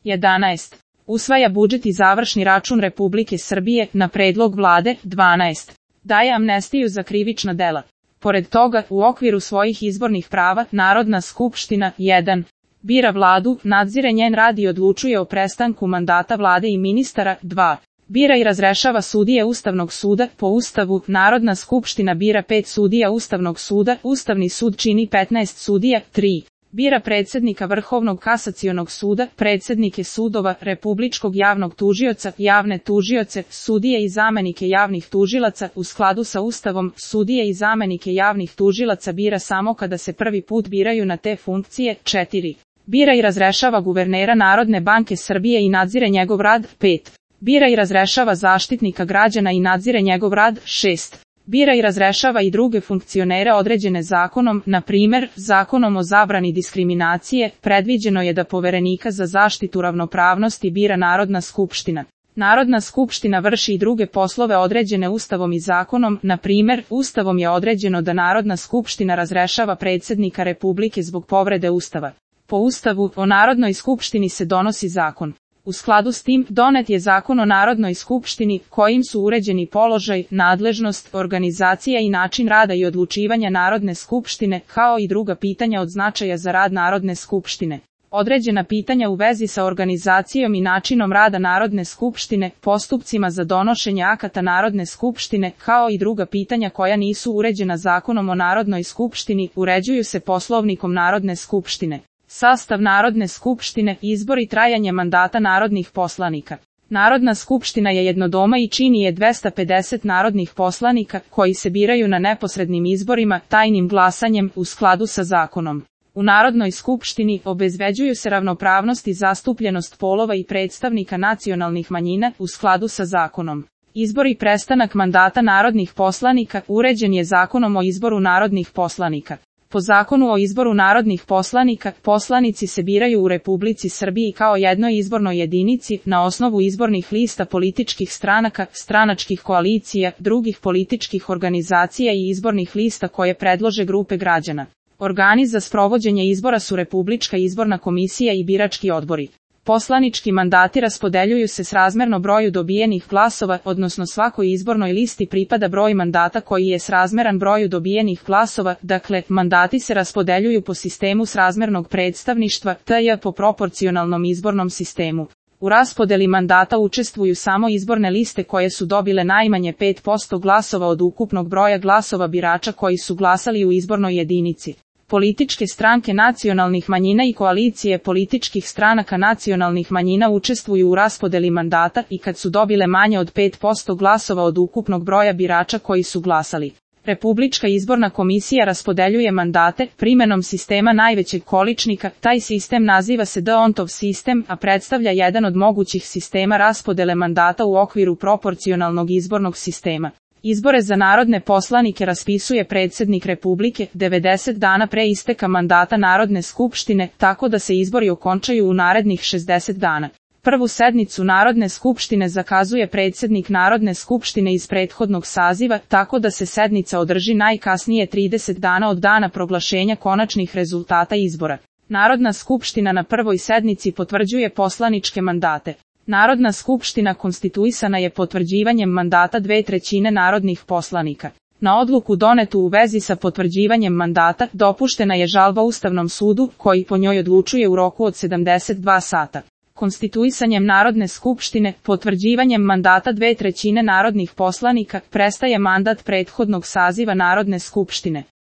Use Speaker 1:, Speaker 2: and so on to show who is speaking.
Speaker 1: 11. Usvaja budžet i završni račun Republike Srbije na predlog vlade. 12. Daje amnestiju za krivična dela. Pored toga, u okviru svojih izbornih prava, Narodna skupština 1. Bira vladu, nadzire njen rad i odlučuje o prestanku mandata vlade i ministara. 2. Bira i razrešava sudije Ustavnog suda. Po Ustavu, Narodna skupština bira 5 sudija Ustavnog suda, Ustavni sud čini 15 sudija. 3. Bira predsednika Vrhovnog kasacionog suda, predsednike sudova, Republičkog javnog tužioca, javne tužioce, sudije i zamenike javnih tužilaca. U skladu sa Ustavom, sudije i zamenike javnih tužilaca bira samo kada se prvi put biraju na te funkcije. 4. Bira i razrešava guvernera Narodne banke Srbije i nadzire njegov rad. 5. Bira i razrešava Zaštitnika građana i nadzire njegov rad. 6. Bira i razrešava i druge funkcionere određene zakonom, na primer, Zakonom o zabrani diskriminacije, predviđeno je da Poverenika za zaštitu ravnopravnosti bira Narodna skupština. Narodna skupština vrši i druge poslove određene Ustavom i zakonom, na primer, Ustavom je određeno da Narodna skupština razrešava predsednika Republike zbog povrede Ustava. Po Ustavu, o Narodnoj skupštini se donosi zakon. U skladu s tim, donet je Zakon o Narodnoj skupštini, kojim su uređeni položaj, nadležnost, organizacija i način rada i odlučivanja Narodne skupštine, kao i druga pitanja od značaja za rad Narodne skupštine. Određena pitanja u vezi sa organizacijom i načinom rada Narodne skupštine, postupcima za donošenje akata Narodne skupštine, kao i druga pitanja koja nisu uređena Zakonom o Narodnoj skupštini, uređuju se Poslovnikom Narodne skupštine. Sastav Narodne skupštine, izbor i trajanje mandata narodnih poslanika. Narodna skupština je jednodoma i čini je 250 narodnih poslanika, koji se biraju na neposrednim izborima, tajnim glasanjem, u skladu sa zakonom. U Narodnoj skupštini obezbeđuju se ravnopravnost i zastupljenost polova i predstavnika nacionalnih manjina, u skladu sa zakonom. Izbor i prestanak mandata narodnih poslanika uređen je Zakonom o izboru narodnih poslanika. Po Zakonu o izboru narodnih poslanika, poslanici se biraju u Republici Srbiji kao jednoj izbornoj jedinici, na osnovu izbornih lista političkih stranaka, stranačkih koalicija, drugih političkih organizacija i izbornih lista koje predlože grupe građana. Organi za sprovođenje izbora su Republička izborna komisija i birački odbori. Poslanički mandati raspodeljuju se srazmerno broju dobijenih glasova, odnosno svakoj izbornoj listi pripada broj mandata koji je srazmeran broju dobijenih glasova, dakle, mandati se raspodeljuju po sistemu srazmernog predstavništva, tj. po proporcionalnom izbornom sistemu. U raspodeli mandata učestvuju samo izborne liste koje su dobile najmanje 5% glasova od ukupnog broja glasova birača koji su glasali u izbornoj jedinici. Političke stranke nacionalnih manjina i koalicije političkih stranaka nacionalnih manjina učestvuju u raspodeli mandata i kad su dobile manje od 5% glasova od ukupnog broja birača koji su glasali. Republička izborna komisija raspodeljuje mandate primenom sistema najvećeg količnika, taj sistem naziva se D'Hondtov sistem, a predstavlja jedan od mogućih sistema raspodele mandata u okviru proporcionalnog izbornog sistema. Izbore za narodne poslanike raspisuje predsjednik Republike 90 dana pre isteka mandata Narodne skupštine, tako da se izbori okončaju u narednih 60 dana. Prvu sednicu Narodne skupštine zakazuje predsjednik Narodne skupštine iz prethodnog saziva, tako da se sednica održi najkasnije 30 dana od dana proglašenja konačnih rezultata izbora. Narodna skupština na prvoj sednici potvrđuje poslaničke mandate. Narodna skupština konstituisana je potvrđivanjem mandata 2/3 narodnih poslanika. Na odluku donetu u vezi sa potvrđivanjem mandata dopuštena je žalba Ustavnom sudu, koji po njoj odlučuje u roku od 72 sata. Konstituisanjem Narodne skupštine, potvrđivanjem mandata 2/3 narodnih poslanika, prestaje mandat prethodnog saziva Narodne skupštine.